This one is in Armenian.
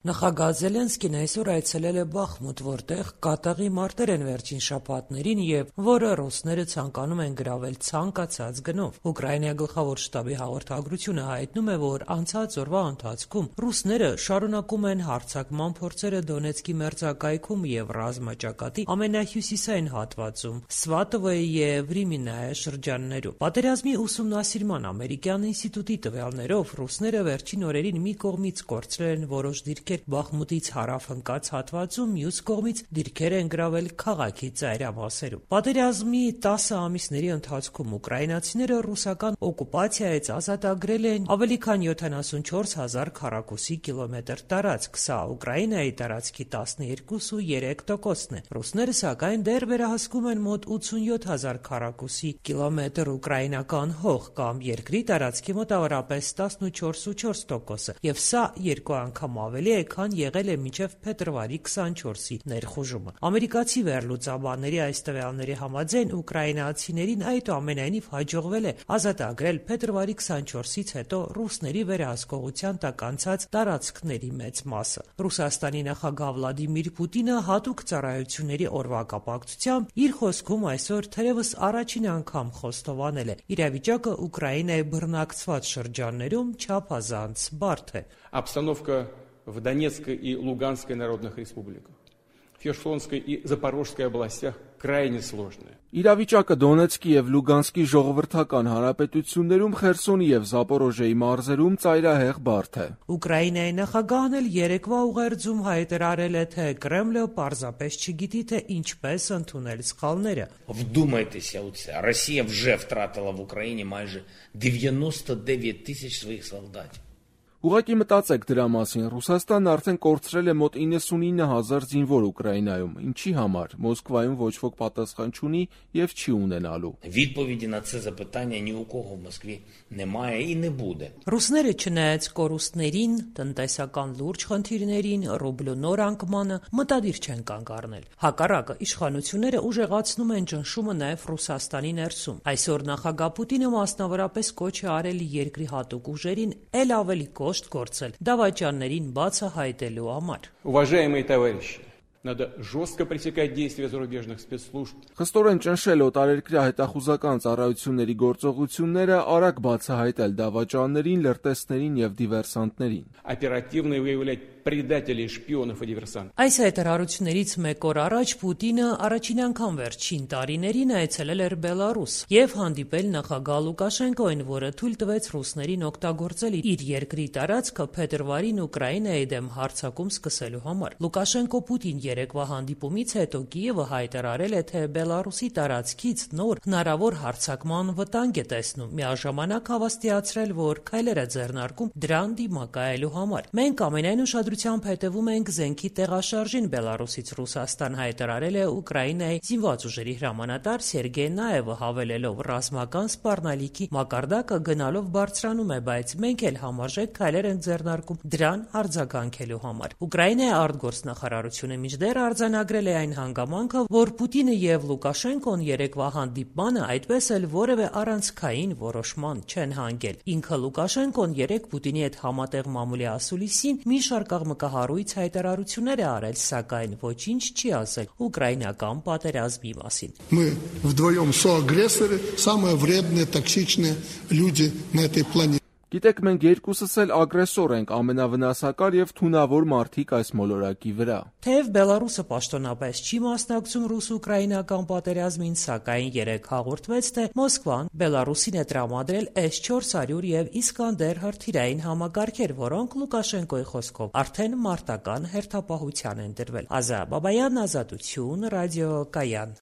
Նախագահ Զելենսկին այսօր այցելել է Բախմուտ, որտեղ կատաղի մարտեր են վերջին շաբաթներին եւ որը ռուսները ցանկանում են գրավել ցանկացած գնով։ Ուկրաինայի գլխավոր շտաբի հաղորդագրությունը հայտնում է, որ անցած օրվա ընթացքում ռուսները շարունակում են հարձակման փորձերը Դոնեցկի մերձակայքում եւ ռազմաճակատի ամենահյուսիսային հատվածում Սվատովոյի եւ Վրիմինայե շրջաններում։ Պատերազմի ուսումնասիրման ամերիկյան ինստիտուտի տվյալներով ռուսները վերջին օրերին մի կողմից կորցրել են որոշ դիրքեր Բախմուտից հարավ ընկած հատվածում, մյուս կողմից դիրքեր են գրավել քաղաքի ծայրամասերում։ Պատերազմի 10 ամիսների ընթացքում ուկրաինացիները ռուսական օկուպացիայից ազատագրել են ավելի քան 74,000 քառակուսի կիլոմետր տարածք, սա Ուկրաինայի տարածքի 12.3%-ն է։ Ռուսները սակայն դեռ վերահսկում են մոտ 87,000 քառակուսի կիլոմետր ուկրաինական հող կամ երկրի տարածքի մոտավորապես 14.4%, եւ սա երկու անգամ ավելի է, քան եղել է մինչև փետրվարի 24-ի ներխուժումը։ Ամերիկացի վերլուծաբանների այս տվյալների համաձայն ուկրաինացիներին այդուամենայնիվ հաջողվել է ազատագրել փետրվարի 24-ից հետո ռուսների վերահսկողության տակ անցած տարածքների մեծ մասը։ Ռուսաստանի նախագահ Վլադիմիր Պուտինը հատուկ ծառայությունների օրվա կապակցությամբ իր խոսքում այսօր թերևս առաջին անգամ խոստովանել է՝ իրավիճակը Ուկրաինայի բռնակցված շրջաններում չափազանց բարդ է։ Обстановка в Донецкой и Луганской народных республиках, в Херсонской и Запорожской областях крайне сложная. Իրավիճակը Դոնեցկի եւ Լուգանսկի ժողովրդական հանրապետություններում, Խերսոնի եւ Զապորոժիայի մարզերում ծայրահեղ բարդ է։ Ուկրաինայի նախագահն էլ երեկվա ուղերձում հայտարարել է, թե Կրեմլը պարզապես չգիտի, թե ինչպես ընդունել սխալները։ Вдумайтеся у це. Росія вже втратила в Україні майже 99 тисяч своїх солдатів. Ուղղակի մտածեք դրա մասին, Ռուսաստանն արդեն կորցրել է մոտ 99,000 զինվոր Ուկրաինայում, ինչի համար, Մոսկվայում ոչ ոք պատասխան չունի եւ չի ունենալու։ Відповіді на це запитання ні у кого в Москві немає і не буде. Ռուսները չնայած կորուստներին, տնտեսական լուրջ խնդիրներին, ռուբլու նոր անկմանը մտադիր չեն կանգ առնել։ Հակառակը, իշխանությունները ուժեղացնում են ճնշումը նաեւ Ռուսաստանի ներսում։ Այսօր նախագահ Պուտինը մասնավորապես կոչ է արել երկրի հատուկ ուժերին ել ավելի կոշտ գործել դավաճաններին բացահայտելու համար։ Уважаемые товарищи, надо жестко пресекать действия зарубежных спецслужб. Խստորեն ճնշել օտարերկրյա հետախուզական ծառայությունների գործողությունները, արագ բացահայտել դավաճաններին, լրտեսներին եւ դիվերսանտներին։ Оперативно выявлять предателей, шпионов и диверсантов. Այս հայտարարություններից մեկ օր առաջ Պուտինը առաջին անգամ վերջին տարիներին այցելել էր Բելարուս եւ հանդիպել նախագահ Լուկաշենկոին, որը թույլ տվեց ռուսներին օգտագործել իր երկրի տարածքը փետրվարին Ուկրաինայի դեմ հարձակում սկսելու համար։ Լուկաշենկո-Պուտին երեկվա հանդիպումից հետո Կիևը հայտարարել է, թե Բելարուսի տարածքից նոր հնարավոր հարձակման վտանգ է տեսնում, միաժամանակ հավաստիացրել, որ քայլեր է ձեռնարկում դրան դիմակայելու համար։ Մենք ամենայն ուշադրությամբ հետևում ենք զենքի տեղաշարժին Բելարուսից Ռուսաստան, հայտարարել է Ուկրաինայի զինված ուժերի հրամանատար Սերգեյ Նաևը, հավելելով ռազմական սպառնալիքի մակարդակը գնալով բարձրանում է, բայց մենք էլ համարժեք քայլեր ենք ձեռնարկում դրան արձագանքելու համար։ Ուկրաինայի արտգործնախարարությունը մինչդեռ արձանագրել է այն հանգամանքը, որ Պուտինը եւ Լուկաշենկոն երեկվա հանդիպմանը այդպես էլ որևէ առանցքային որոշման չեն հանգել։ Ինքը Լուկաշենկոն երեք Պուտինի հետ համատեղ մամուլի ասուլիսին մի շարք աղմկահարույց հայտարարություններ է արել, սակայն ոչինչ չի ասել ուկրաինական պատերազմի մասին։ Мы вдвоем соагрессоры, самые вредные, токсичные люди на этой планете. Գիտեք, մենք երկուսս էլ ագրեսոր ենք, ամենավնասակար եւ թունավոր մարդիկ այս մոլորակի վրա։ Թեև Բելարուսը պաշտոնապես չի մասնակցում ռուս-ուկրաինական պատերազմին, սակայն երեք հաղորդվեց, թե Մոսկվան Բելարուսին է տրամադրել S-400 եւ Իսկանդեր հրթիռային համակարգեր, որոնք Լուկաշենկոյի խոսքով արդեն մարտական հերթապահության են դրվել։ Ազա Բաբայան, Ազատություն, ռադիո Կայան։